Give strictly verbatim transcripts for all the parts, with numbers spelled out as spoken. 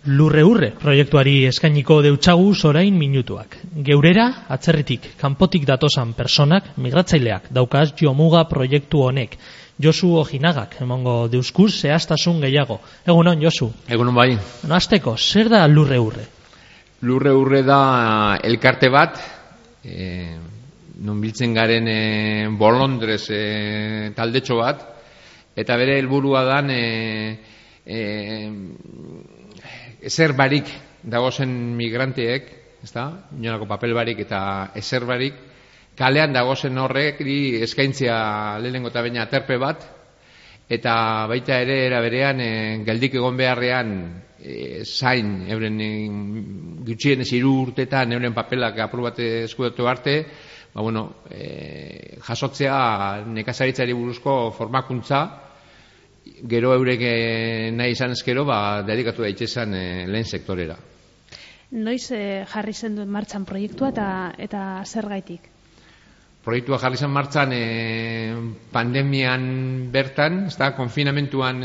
Lurre urre proiektuari eskainiko deutxaguz orain minutuak. Geurera, atzerritik, kanpotik datosan personak, migratzaileak, daukaz jomuga proiektu honek. Josu Ojinagak emongo deuzkuz zehaztasun gehiago. Egunon, Josu? Egunon bai. Bueno, azteko, zer da lurre urre? Lurre urre da elkarte bat, e, non biltzen garen e, Bolondrez e, taldetxo bat, eta bere helburua dan e, e, ezer barik dagozen migranteek, ezta? Inolako papel barik eta ezer barik, kalean dagozen horrek eskaintzea lehenengo eta baina aterpe bat, eta baita ere era berean e, geldik egon beharrean e, zain, euren e, gutxienez hiru urtetan euren papelak apur bat eskudatu arte, ba, bueno, e, jasotzea nekazaritzari buruzko formakuntza, gero eurek nahi izan ezkero, ba, dedikatu daitezan e, lehen sektorera. Noiz e, jarri zen duen martxan proiektua eta, eta zer gaitik? Proiektua jarri zen martxan e, pandemian bertan, ez da, konfinamentuan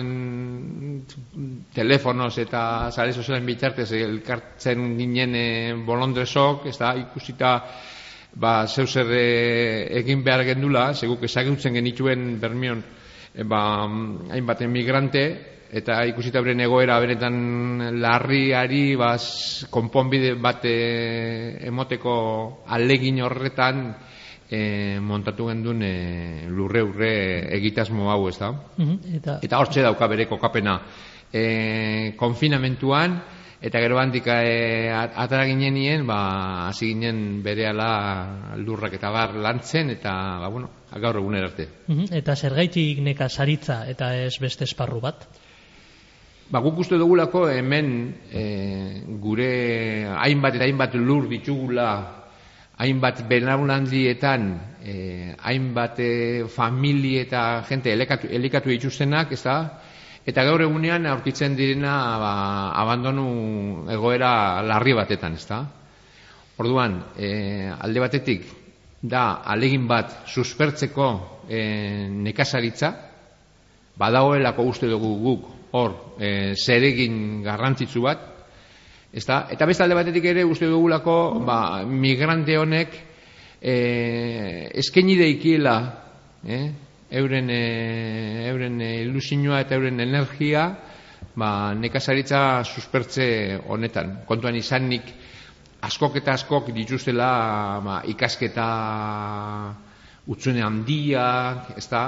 telefonoz eta sare sozialen bitartez elkartzen ginen e, Bolondrezok, ez da, ikusita ba, zeu zer e, egin behar gendula, seguk ezagutzen genituen Bermeon, E, ba, hainbat emigrante, eta ikusita beren egoera benetan larriari ba, konponbide bat e, emoteko alegin horretan e, montatu gendun e, lurre urre egitasmo hau, ez da? Mm-hmm, eta eta hortxe dauka bere kokapena e, konfinamentuan, eta gero handik e, atara ginen nien, ba, hasi ginen berehala lurrak eta bar lantzen, eta ba, bueno, gaur eguner arte. Uh-huh. Eta zergaitik nekazaritza eta ez beste esparru bat? Ba, guk uste dugulako hemen e, gure hainbat eta hainbat lur ditugula, hainbat belaunaldietan, e, hainbat e, famili eta jente elikatu, elikatu dituztenak, ez da? Eta gaur egunean aurkitzen direna ba, abandonu egoera larri batetan, ez da? Orduan, e, alde batetik, da alegin bat suspertzeko e, nekazaritza, badagoelako uste dugu guk hor e, zeregin garrantzitsu bat, ezta? Eta beste alde batetik ere uste dugulako ba, migrante honek e, eskaini deikiela e, euren, e, euren ilusioa eta euren energia ba, nekazaritza suspertze honetan. Kontuan izanik askok eta askok dituztela ba, ikasketa utzune handiak, ezta?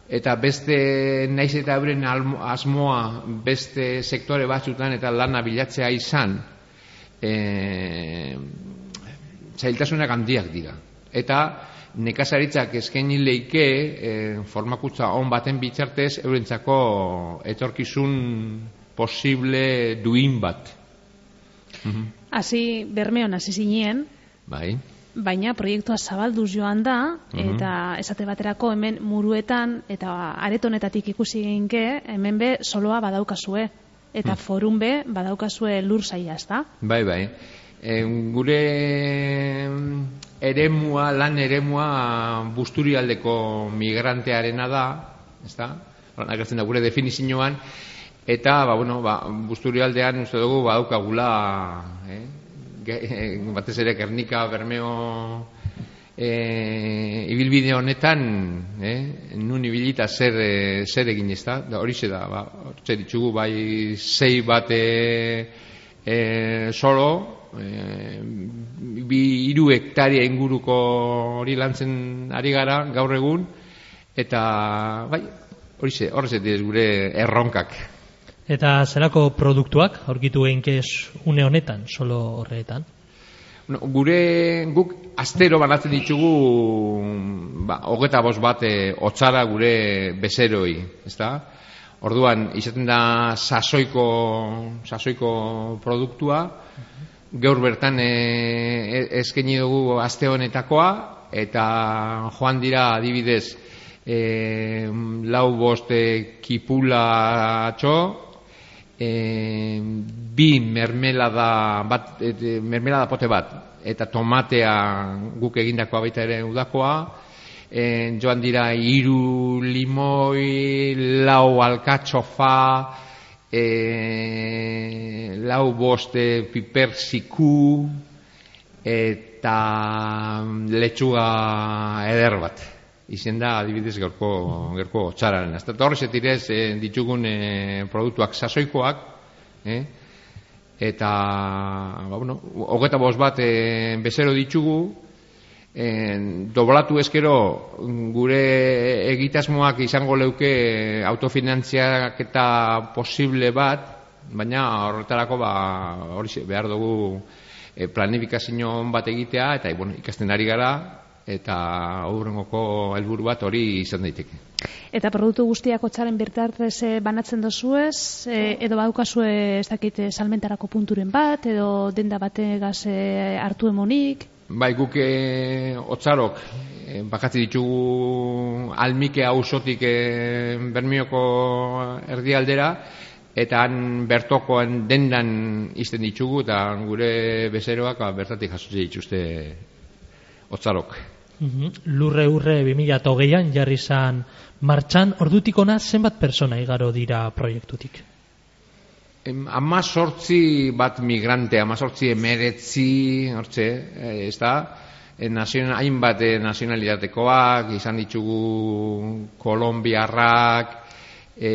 Eta beste naiz eta euren asmoa beste sektore batzutan eta lana bilatzea izan, e, zailtasunak handiak dira. Eta nekazaritzak eskaini leike e, formakuntza on baten bitartez eurentzako etorkizun posible duin bat. Hasi Bermeon hasi zinien, bai. Baina proiektua zabalduz joan da, eta esate baterako hemen Muruetan eta aretonetatik ikusi ginke, hemen be soloa badaukazue, eta forun be badaukazue lur saia, ezta? Bai, bai. E, gure eremua, lan eremua Busturialdeko migrantearena da, ezta? Agertzen da gure definizioan, eta ba, bueno, ba, Busturialdean uste dugu badaukagula, eh? batez ere Gernika, Bermeo e, ibilbide honetan e, nun ibilita zer, e, zer egin ez da, da horixe da, ba, horixe ditugu bai zei bat e, e, solo, e, bi hiru hektaria inguruko hori lantzen ari gara gaur egun, eta bai, horixe, horrez ez gure erronkak. Eta zerako produktuak aurkitu eginkez une honetan, solo horretan? No, gure guk astero banatzen ditugu ba, hogeta bost bat e, otzara gure bezeroi, ezta? Orduan, izaten da sasoiko, sasoiko produktua, gaur bertan e, eskaini dugu aste honetakoa, eta joan dira adibidez e, lau bost kipulatxo, E, bi mermelada bat, e, mermelada pote bat eta tomatea guk egindakoa baita ere udakoa, e, joan dira hiru limoi, lau alkatxofa, e, lau boste piper ziku eta letxuga eder bat. Izen da, adibidez, gerko, gerko txararen. Eta horrezet direz eh, ditugun eh, produktuak sasoikoak, eh? Eta, ba, bueno, hogeta bost bat eh, bezero ditugu, eh, doblatu ezkero gure egitasmoak izango leuke autofinantziak eta posible bat, baina horretarako ba, hori behar dugu eh, planifikazio bat egitea, eta bueno, ikasten ari gara, eta aurrengoko helburu bat hori izan daiteke. Eta produktu guztiak hotzaren bitartez banatzen dozuez, e, edo badukazue ez dakit salmentarako punturen bat, edo denda bategaz e, hartu emonik? Bai, guk e, hotzarok e, bakatzi ditugu Almike auzotik e, Bermioko erdialdera, eta han bertokoan dendan izten ditugu, eta gure bezeroak ba, bertatik jasotzen dituzte hotzarok. Uhum. Lurre urre bi mila hogeian jarri zan martxan, ordutik ona zenbat persona igaro dira proiektutik? Ama sortzi bat migrante, ama sortzi emeretzi, hortze, ez da, nazion, hainbat nazionalitatekoak, izan ditugu kolombiarrak, e,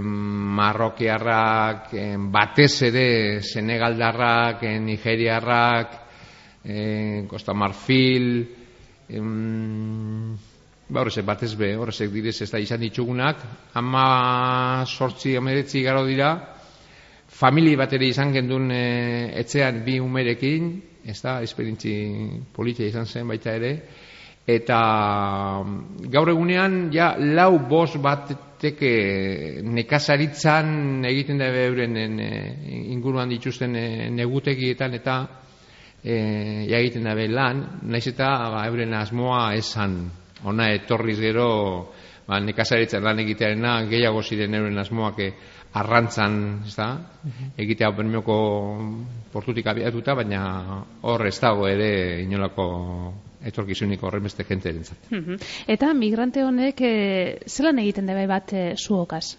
marrokiarrak, e, batez ere senegaldarrak, e, nigeriarrak, e, Costa Marfil, ba horrezek batez be, horrezek direz ez da izan ditugunak, ama sortzi emeretzi garo dira, famili bat ere izan gendun e, etxean bi umerekin, ez da, esperientzi politia izan zen baita ere, eta gaur egunean ja lau bost bateke nekazaritzan egiten da euren inguruan dituzten negutekietan eta E, ja egiten dabe lan, naiz eta ba, euren asmoa esan, ona etorriz gero ba, nekazaritzen lan egitearena gehiago ziren euren asmoak e, arrantzan, ez da, egitea Bermioko portutik abiatuta, baina hor ez dago ere inolako etorkizunik horren beste jente erentzat. Eta migrante honek e, zelan egiten dabe bat e, zuokaz?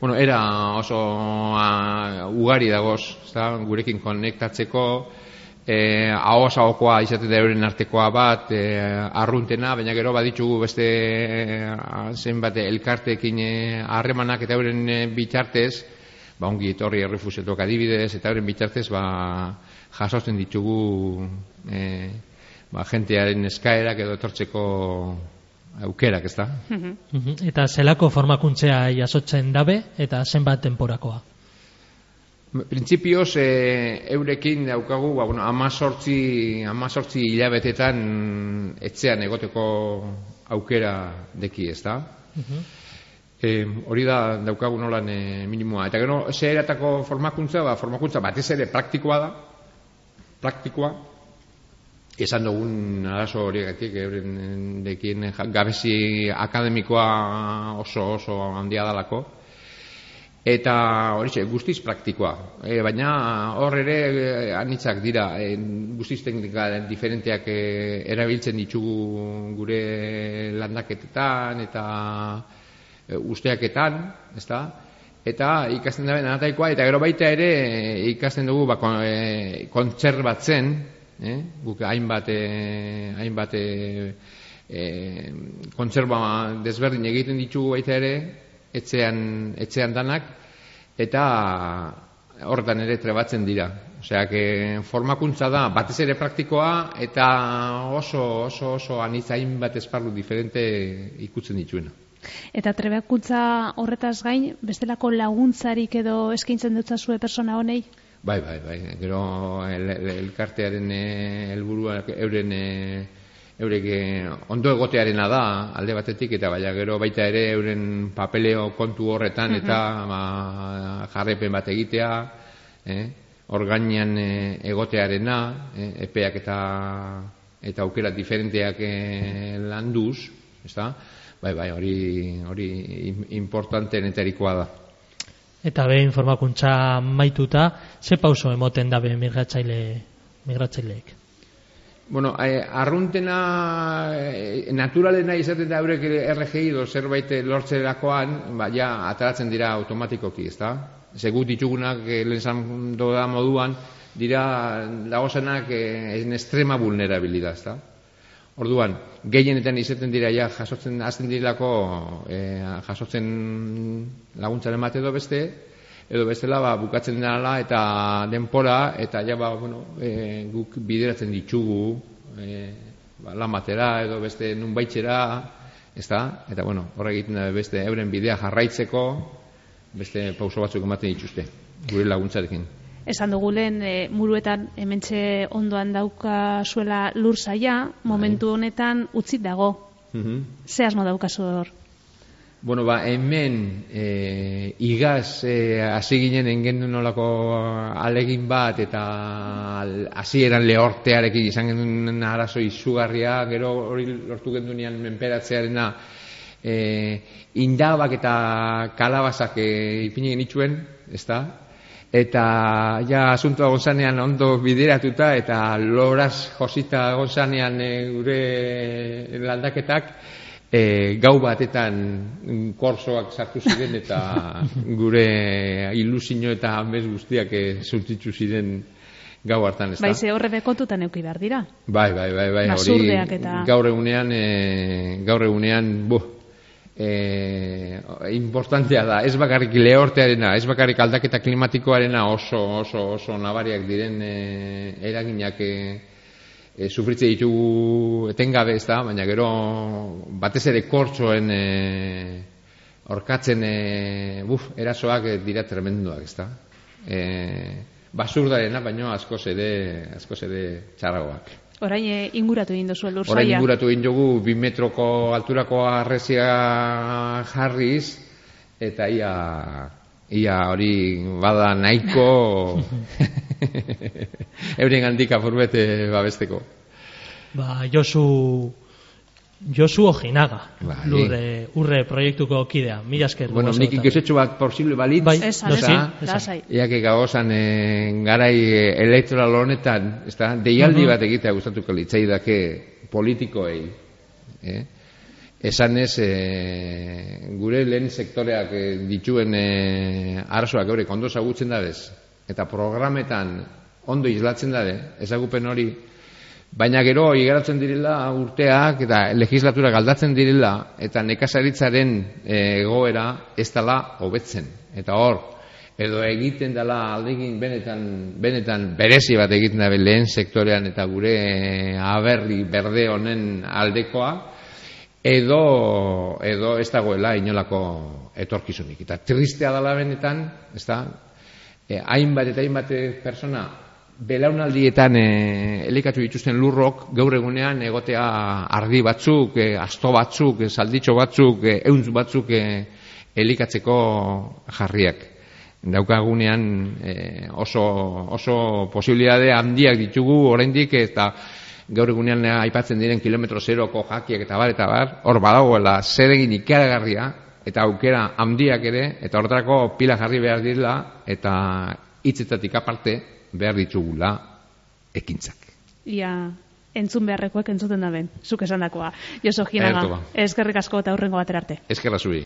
Bueno, era oso a, ugari dagoz, ez da, gurekin konektatzeko, Eh, ahoaz ahokoa izaten da euren artekoa bat, eh, arruntena, baina gero baditugu beste eh, zenbat elkarteekin harremanak eh, eta euren eh, bitartez, ba ongi etorri errefuxiatuak adibidez, eta euren bitartez ba, jasotzen ditugu eh, ba, jentearen eskaerak edo etortzeko aukerak, ez da? Eta zelako formakuntzea jasotzen dabe, eta zenbat denporakoa? Printzipioz, e, eurekin daukagu, ba, bueno, amazortzi, amazortzi hilabetetan etxean egoteko aukera deki, ez da? Uh-huh. E, hori da daukagu nolan e, minimoa. Eta gero, ze eratako formakuntza, ba, formakuntza batez ere praktikoa da, praktikoa, esan dugun arazo horiagatik, euren dekien gabezi akademikoa oso oso handia dalako, eta hori guztiz praktikoa, e, baina hor ere e, anitzak dira, e, guztiz teknika diferenteak e, erabiltzen ditugu gure landaketetan eta e, usteaketan, ezta? Eta ikasten da nataikoa, eta gero baita ere e, ikasten dugu ba, kon, e, kontserbatzen, e, guk hainbat e, hainbat e, e, kontserba desberdin egiten ditugu baita ere, etxean, etxean danak, eta horretan ere trebatzen dira. Osea, que formakuntza da, batez ere praktikoa, eta oso, oso, oso anitzain bat esparru diferente ikutzen dituena. Eta trebakuntza horretaz gain, bestelako laguntzarik edo eskaintzen dutzazue persona honei? Bai, bai, bai. Gero el, el, elkartearen helburua euren eurek ondo egotearena da alde batetik, eta baina gero baita ere euren papeleo kontu horretan eta ba, jarrepen bat egitea, eh? Orgainean eh, egotearena, eh, epeak eta eta aukera diferenteak eh, landuz, ezta? Bai, bai, hori hori importanteenetarikoa da. Eta behin formakuntza maituta, ze pauso emoten dabe migratzaile migratzaileek? Bueno, eh, arruntena eh, naturalena izaten da eurek R G I edo zerbait lortzerakoan, ba, ja, ateratzen dira automatikoki, ezta? Segut ditugunak, eh, lehen zan da moduan, dira dagozenak eh, en extrema vulnerabilidad, ezta? Orduan, gehienetan izaten dira ja jasotzen hasten direlako eh, jasotzen laguntzaren bat edo beste, edo bestela ba, bukatzen dela eta denpora eta ja ba, bueno, e, guk bideratzen ditugu e, ba, lan batera edo beste nunbaitxera, ezta? Eta bueno, horrek egiten da beste euren bidea jarraitzeko beste pauso batzuk ematen dituzte gure laguntzarekin. Esan dugu lehen, e, muruetan hementxe ondoan dauka zuela lur saia, momentu honetan utzit dago. Mm-hmm. Ze asmo daukazu hor? Bueno, ba, hemen e, igaz e, hasi ginen engendu nolako alegin bat eta hasieran lehortearekin izan genuen arazo izugarria, gero hori lortu gendunean menperatzearena e, indabak eta kalabazak e, ipini genituen, ezta? Eta ja asuntoa gozanean ondo bideratuta eta loraz josita gozanean e, gure landaketak e, gau batetan korsoak sartu ziren eta gure ilusio eta amez guztiak e, zultitzu ziren gau hartan, ez da? Bai, ze horre bekontutan euki behar dira. Bai, bai, bai, bai, hori eta... gaur egunean, e, gaur egunean, buh, E, importantea da, ez bakarrik lehortearena, ez bakarrik aldaketa klimatikoarena oso, oso, oso nabariak diren e, eraginak e, e, sufritze ditugu etengabe, ez da, baina gero batez ere kortsoen e, orkatzen e, buf, erasoak dira tremenduak, ez da. E, basurdarena, baina askoz ere, askoz ere txarragoak. Orain e, inguratu egin duzu lur saia. Orain inguratu egin dugu bi metroko alturako arrezia jarriz eta ia ia hori bada nahiko euren handik apurbete babesteko. Ba, Josu Josu Ojinaga, bai. Lurre, urre proiektuko kidea. Mila esker. Bueno, nik ikesetxo bat posible balit. Bai, esan, esan, esan. Iake gagozan e, garai elektoral honetan, ez da, deialdi bat egitea gustatuko litzaidake politikoei. Eh? Esan ez, e, gure lehen sektoreak e, dituen e, arazoak eurek ondo zagutzen dadez, eta programetan ondo islatzen dade, ezagupen hori, baina gero igaratzen direla urteak eta legislaturak aldatzen direla eta nekazaritzaren egoera ez dela hobetzen. Eta hor, edo egiten dela aldegin benetan, benetan berezi bat egiten da lehen sektorean eta gure aberri berde honen aldekoa, edo, edo ez dagoela inolako etorkizunik. Eta tristea dela benetan, ez da, eh, hainbat eta hainbat persona belaunaldietan e, elikatu dituzten lurrok gaur egunean egotea argi batzuk, e, asto batzuk, e, salditxo batzuk, e, euntz batzuk e, elikatzeko jarriak. Daukagunean e, oso, oso posibilitate handiak ditugu oraindik eta gaur egunean aipatzen diren kilometro zeroko jakiak eta bar eta bar, hor badagoela zeregin ikaragarria eta aukera handiak ere eta horretarako pila jarri behar direla eta hitzetatik aparte behar ditugula ekintzak. Ia, entzun beharrekoak entzuten da ben, zuk esandakoa. Josu Ojinaga, eskerrik asko eta hurrengo batera arte. Eskerra zuri.